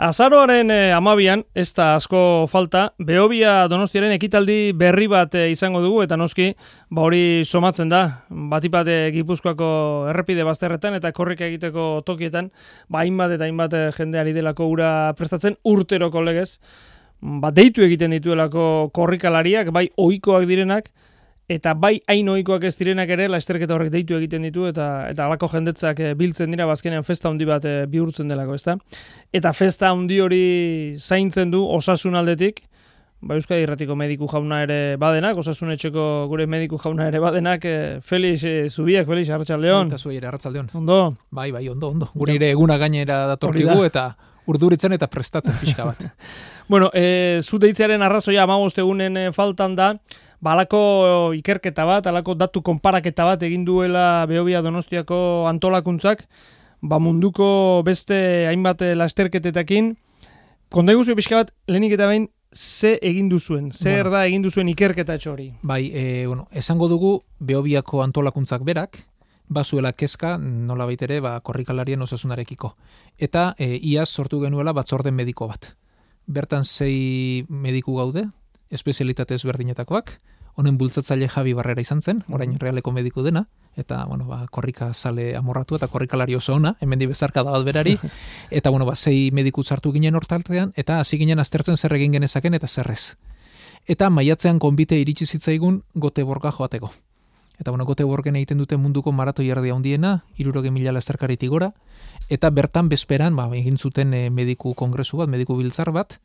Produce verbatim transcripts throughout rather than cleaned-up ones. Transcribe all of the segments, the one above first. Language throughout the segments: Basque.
Azaroaren eh, amabian, ez da asko falta, Behobia Donostiaren ekitaldi berri bat eh, izango dugu, eta noski, ba hori somatzen da, batipat eh, Gipuzkoako errepide bazterretan eta korrika egiteko tokietan, ba hainbat eta hainbat eh, jendeari delako ura prestatzen urteroko legez, ba deitu egiten dituelako korrikalariak, bai ohikoak direnak, eta bai hain ohikoak ez direnak ere, lasterketa horrek deitu egiten ditu, eta eta halako jendetzak e, biltzen dira, bazkenean festa handi bat e, bihurtzen delako, ezta? Eta festa handi hori zaintzen du osasun aldetik, ba Euskadi Irratiko mediku jauna ere badenak, osasun etxeko gure mediku jauna ere badenak, e, Felix e, Zubiak, Felix, arratsaldeon. Eta zuei ere, arratsaldeon. Ondo? Bai, bai, ondo, ondo. Gure ere eguna gainera datorkigu eta urduritzen eta prestatzen pixka bat. Bueno, e, zu deitzearen arrazoia hamabost egunen e, faltan da, ba, alako ikerketa bat, alako datu konparaketa bat egin duela Behobia Donostiako antolakuntzak, ba munduko beste hainbat lasterketetakin. Konta eguzio pixka bat, lehenik eta behin, ze egin duzuen? Zer bueno, da egin duzuen ikerketa hori? Bai, e, bueno, esango dugu Behobiako antolakuntzak berak, bazuela kezka, nola baitere, ba, korrikalarien osasunarekiko. Eta e, iaz sortu genuela batzorde mediko bat. Bertan sei mediku gaude, espezialitate ezberdinetakoak, honen bultzatzaile Javi Barrera izan zen, orain realeko mediku dena, eta bueno, ba, korrika sale amorratu eta korrikalari oso ona, hemendi bezarka da bat berari, eta bueno, ba, sei mediku sartu ginen hortaltean, eta hasi ginen aztertzen zer egin genezaken eta zerrez. Eta maiatzean konbite iritsi zitzaigun Goteborga joateko. Eta bueno, Goteborgen egiten dute munduko maratoi erdia handiena, hirurogei mila lasterkaritik gora, eta bertan bezperan ba, egin zuten e, mediku kongresu bat, mediku biltzar bat,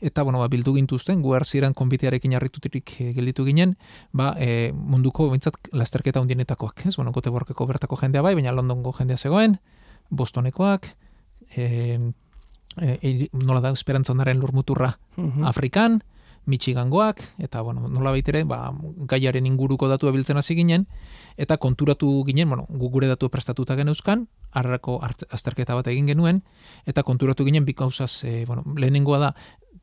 eta bueno, ba, bildu gintuzten, gu erzieran konbitearekin harritutik e, gelditu ginen, ba, e, munduko bintzat lasterketa handienetakoak. Ez? Bueno, Goteborgeko bertako jendea bai, baina Londongo jendea zegoen, Bostonekoak, e, e, nola da, Esperantza Ondaren lurmuturra uh-huh. Afrikan, Michigangoak, eta bueno, nola baitere, ba, gaiaren inguruko datu abiltzen hasi ginen, eta konturatu ginen, bueno, gure datu prestatuta geneuzkan, harrako azterketa bat egin genuen, eta konturatu ginen bi gauzaz, e, bueno, lehenengoa da,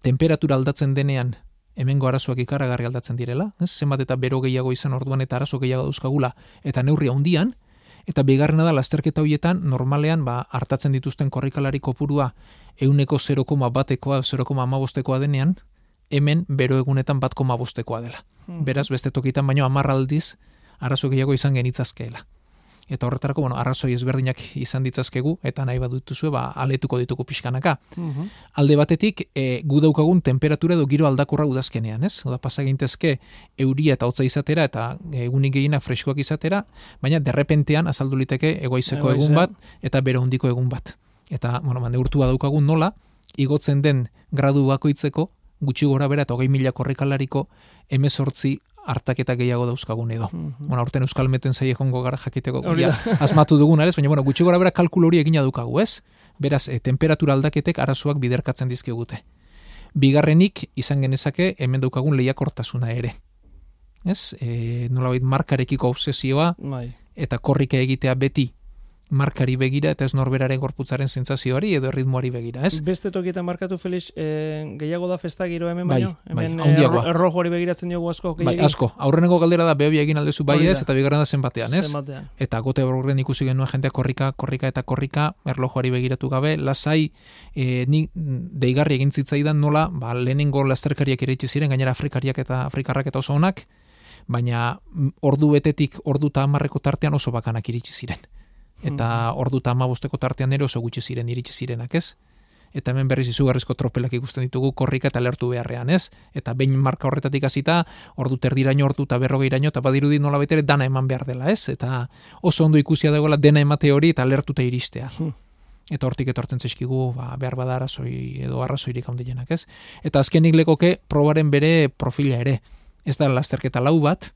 temperatura aldatzen denean, hemengo arazoak ikaragarri aldatzen direla, ez? Zenbat eta bero gehiago izan orduan eta arazo gehiago dauzkagula, eta neurria handian, eta bigarrena da, lasterketa horietan, normalean, ba, hartatzen dituzten korrikalari kopurua, ehuneko zero koma batekoa, zero koma hamabostekoa denean, hemen bero egunetan bat koma bostekoa dela. Hmm. Beraz, beste tokitan baino hamar aldiz arazo gehiago izan genitzazkeela. Eta horretarako, bueno, arrazoi ezberdinak izan ditzazkegu, eta nahi badutuzue, ba, aletuko dituko pixkanaka. Uh-huh. Alde batetik, e, gu daukagun temperatura edo giro aldakorra udazkenean, ez? Oda, pasagintezke euria eta hotza izatera, eta egunik gehienak freskoak izatera, baina derrepentean azaldu liteke egoizeko egun bat, eta bero handiko egun bat. Eta, bueno, ba, neurtua daukagun nola, igotzen den gradu bakoitzeko, gutxi gora bera eta hogei mila korrikalariko hemezortzi hartaketa gehiago dauzkagun edo. Mm-hmm. Bueno, aurten Euskal Meten zaie jongo gara jakiteko ja, asmatu dugun, ez? Baina, bueno, gutxi gora bera kalkulu hori egina dukagu, ez? Beraz, e, temperatura aldaketek arazoak biderkatzen dizkigute. Bigarrenik, izan genezake, hemen daukagun lehiakortasuna ere. Ez? E, nolabait markarekiko obsesioa, Mai. Eta korrika egitea beti markari begira eta ez norberaren gorputzaren sentsazioari edo erritmoari begira, ez? Beste tokietan markatu, Felix, eh, gehiago da festa giro hemen bai, baino? Hemen bai, erro, errojoari begiratzen diogu asko? Bai, asko. Aurreneko galdera da Behobia egin aldezu bai ez, eta bigarren da zenbatean, ez? Zenbatean. Eta Goteborgen ikusi genuen jendea korrika, korrika eta korrika, erlojoari begiratu gabe, lasai, e, ni deigarri egin zitzaidan nola, ba, lehenengo lasterkariak iritsi ziren, gainera afrikariak eta afrikarrak eta oso onak, baina ordu betetik ordu eta hamarreko tartean oso bakanak iritsi ziren. Eta hmm. ordu eta hamabosteko tartean ere oso gutxi ziren iritsi zirenak, ez? Eta hemen berriz izugarrizko tropelak ikusten ditugu korrika eta lertu beharrean, ez? Eta behin marka horretatik hasita ordu terdiraino, ordu eta berrogeiraino, eta badirudi nola betere dana eman behar dela, ez? Eta oso ondo ikusia dagoela dena emate hori eta lertuta iristea. Hmm. Eta hortik etortzen zaizkigu, ba, behar bada arrazoi edo arrazoirik handienak, ez? Eta azkenik lekoke probaren bere profila ere. Ez da lasterketa lau bat,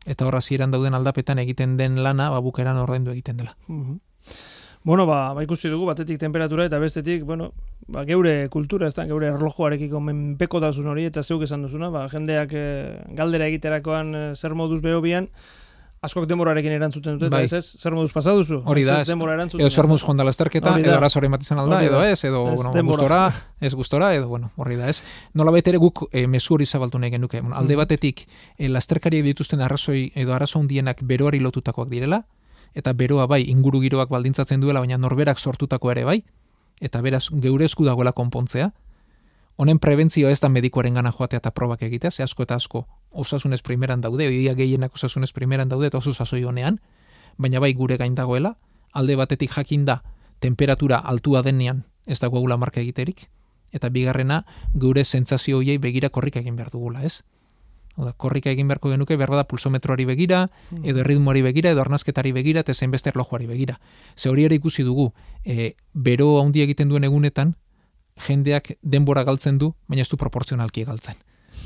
eta horra ziren dauden aldapetan egiten den lana, ba, bukeran ordaindu egiten dela. Uh-huh. Bueno, ba, ba ikusi dugu, batetik temperatura eta bestetik, bueno, ba, geure kultura, ez da, geure erlojuarekiko menpekotasun hori, eta zeuk esan duzuna, ba, jendeak e, galdera egiterakoan e, zer moduz Behobian, askok denborarekin erantzuten dute, bai. Ez ez, zer moduz pasa duzu? Hori da, ez, edo zer moduz jonda lasterketa, edo arazo hori matizan alda, edo ez, edo ez, bueno, gustora, ez gustora, edo, bueno, horri da, ez. Nola baitere guk e, mezu hori zabaltu nahi genuke. Bueno, alde batetik, e, lasterkariak dituzten arrazoi edo arazo hundienak beroari lotutakoak direla, eta beroa bai inguru giroak baldintzatzen duela, baina norberak sortutako ere bai, eta beraz geure esku dagoela konpontzea, honen prebentzio ez da medikuaren gana joatea eta probak egitea, ze asko eta asko osasunez primeran daude, oidia gehienak osasunez primeran daude eta oso sasoi honean, baina bai gure gain dagoela, alde batetik jakin da temperatura altua denean ez dagoela marka egiterik, eta bigarrena geure sentsazio hoiei begira korrika egin behar dugula, ez? Oda, korrika egin beharko genuke behar da pulsometroari begira, edo erritmoari begira, edo arnazketari begira, eta zein beste erlojuari begira. Ze hori ere ikusi dugu, e, bero handi egiten duen egunetan, jendeak denbora galtzen du, baina ez du proportzionalki galtzen.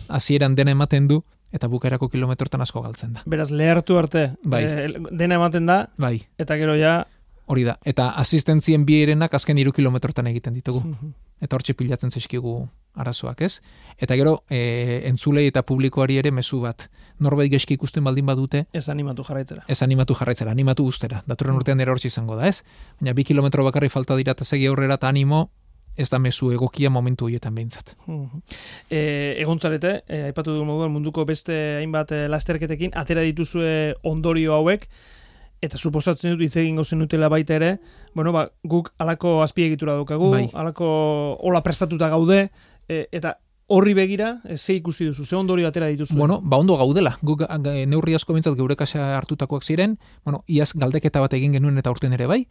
Hasieran dena ematen du, eta bukaerako kilometrotan asko galtzen da. Beraz, lehertu arte, bai. e, dena ematen da, bai. Eta gero ja... Hori da, eta asistentzien bierenak azken hiru kilometrotan egiten ditugu. Uh-huh. Eta hortxe pilatzen zaizkigu arazoak, ez? Eta gero, e, entzulei eta publikoari ere mezu bat. Norbait geski ikusten baldin badute... Ez animatu jarraitzera. Ez animatu jarraitzera, animatu ustera. Datorren urtean ere hortxe izango da, ez? Baina bi kilometro bakarri falta dira eta segi aurrera eta animo, ez da mezu egokia momentu horietan behintzat. Uh-huh. E, egontzarete, e, aipatu dugu moduan munduko beste hainbat e, lasterketekin, atera dituzue ondorio hauek, eta suposatzen dut hitz egingo zenutela baita ere, bueno, ba, guk alako azpiegitura daukagu, bai. alako hola prestatuta gaude, e, eta horri begira, e, ze ikusi duzu, ze ondorio atera dituzu? Bueno, ba ondo gaudela. Guk neurri asko bintzat geure kasa hartutakoak ziren, bueno, iaz galdeketa bat egin genuen eta urten ere bai,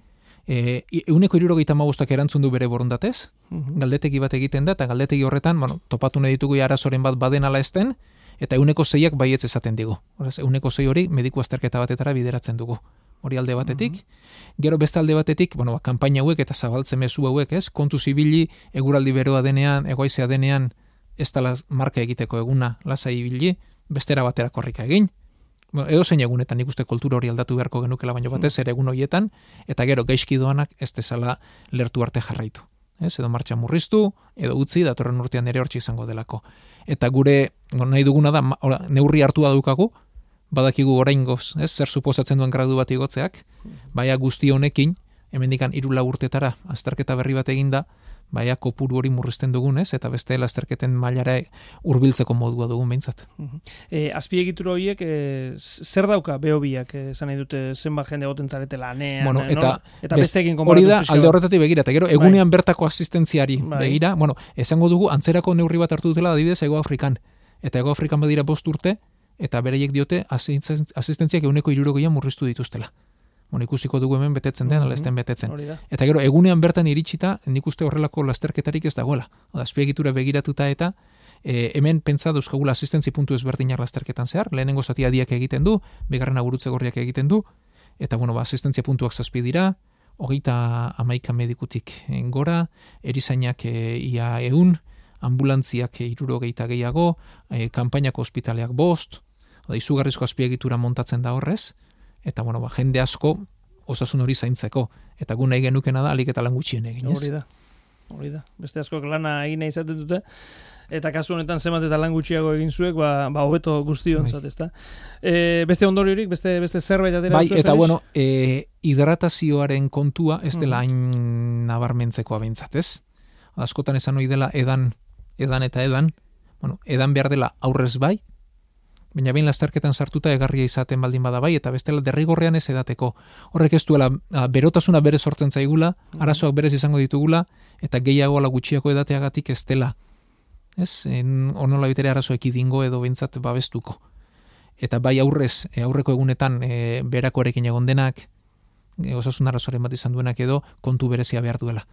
e, euneko hirurogeita hamabostak erantzun du bere borondatez, uh-huh. galdetegi bat egiten da, eta galdetegi horretan, bueno, topatu nahi ditugu arazoren bat baden ala esten, eta euneko zeiak baietz esaten digu. Horaz, euneko zei hori mediku azterketa batetara bideratzen dugu. Hori alde batetik. Mm-hmm. Gero beste alde batetik, bueno, ba, kanpaina hauek eta zabaltze mezu hauek, ez? Kontu zibili, eguraldi beroa denean, egoizea denean, ez da marka egiteko eguna lasai ibili, bestera batera korrika egin. Bueno, edo zein egunetan ikuste kultura hori aldatu beharko genukela, baino batez ere egun horietan, eta gero gaizki doanak ez dezala lertu arte jarraitu. Ez? Edo martxa murriztu, edo utzi, datorren urtean ere hortxe izango delako. Eta gure, bueno, nahi duguna da, ora, neurri hartu daukagu, badakigu oraingoz, ez, zer suposatzen duen gradu bat igotzeak, baina guzti honekin, hemendikan hiru lau urtetara azterketa berri bat eginda, baina kopuru hori murrizten dugun, ez, eta beste lasterketen mailara hurbiltzeko modua dugun behintzat. Uh-huh. E, azpiegitura horiek, e, zer dauka behobiak, esan nahi dute zenbat jende goten zarete lanean, bueno, eta, no? Eta besteekin hori da, alde horretatik begira, eta gero, egunean bai. Bertako asistentziari bai. begira, bueno, esango dugu, antzerako neurri bat hartu dutela, adibidez, Ego Afrikan, eta Ego Afrikan badira bost urte, eta bereiek diote asistentziak eguneko hirurogeian murriztu dituztela. Bueno, ikusiko dugu hemen betetzen den, ala esten betetzen. Eta gero, egunean bertan iritsita, nik uste horrelako lasterketarik ez dagoela. Azpiegitura begiratuta eta e, hemen pentsa dauzkagula asistentzi puntu ezberdinak lasterketan zehar, lehenengo zati adiak egiten du, bigarrena gurutze gorriak egiten du, eta bueno, ba, asistentzia puntuak zazpi dira, hogeita hamaika medikutik gora, erizainak e, ia eun, ambulantziak hirurogeita gehiago, e, kanpainako ospitaleak bost, oda, izugarrizko azpiegitura montatzen da horrez, eta bueno, ba, jende asko osasun hori zaintzeko, eta gu nahi genukena da alik eta lan gutxien egin, ez? Hori da, hori da. Beste askok lana egin nahi izaten dute, eta kasu honetan zenbat eta lan gutxiago egin zuek, ba, ba hobeto guztiontzat, ezta? E, beste ondoriorik, beste beste zerbait atera bai, duzu, eta Felix? bueno, e, hidratazioaren kontua ez dela hain nabarmentzekoa behintzat, ez? Askotan esan ohi dela edan, edan eta edan, bueno, edan behar dela aurrez bai, baina behin lasterketan sartuta egarria izaten baldin bada bai, eta bestela derrigorrean ez edateko. Horrek ez duela, berotasuna berez sortzen zaigula, arazoak berez izango ditugula, eta gehiago ala gutxiako edateagatik ez dela. Ez, onola bitere arazoek idingo edo behintzat babestuko. Eta bai aurrez, aurreko egunetan e, berakoarekin egon denak, e, osasun arazoaren bat izan duenak edo, kontu berezia behar duela.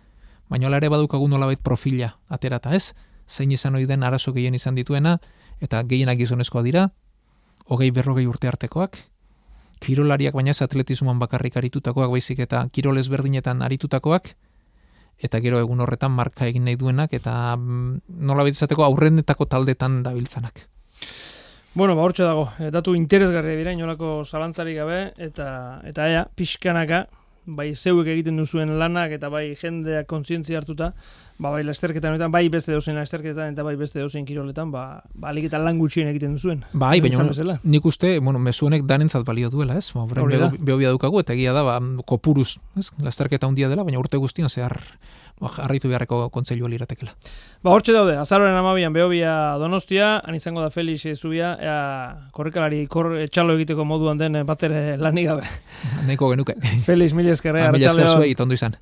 Baina hala ere badukagun nolabait profila aterata, ez? Zein izan ohi den arazo gehien izan dituena, eta gehienak gizonezkoa dira, hogei berrogei urte artekoak, kirolariak baina ez atletismoan bakarrik aritutakoak, baizik eta kirol ezberdinetan aritutakoak, eta gero egun horretan marka egin nahi duenak, eta nola izateko aurrenetako taldetan dabiltzanak. Bueno, ba, hortxe dago, datu interesgarria dira, inolako zalantzarik gabe, eta eta ea, pixkanaka, bai zeuek egiten duzuen lanak, eta bai jendeak kontzientzia hartuta, ba, bai lasterketan, bai beste dozen lasterketan, eta bai beste dozen kiroletan, ba, ba alik eta lan gutxien egiten duzuen. Bai, baina nik uste, bueno, mezu honek danentzat balio duela, ez? Ba, behobia dukagu, eta egia da, ba, kopuruz, ez? Lasterketa handia dela, baina urte guztian zehar ba, harritu beharreko kontseilua liratekela. Ba, hortxe daude, azaroren amabian Behobia Donostia, han izango da Felix Zubia, ea, korrikalari kor, txalo egiteko moduan den batere lanik gabe. Neko genuke. Felix, mila eskerre, mila esker zuei, tondo izan.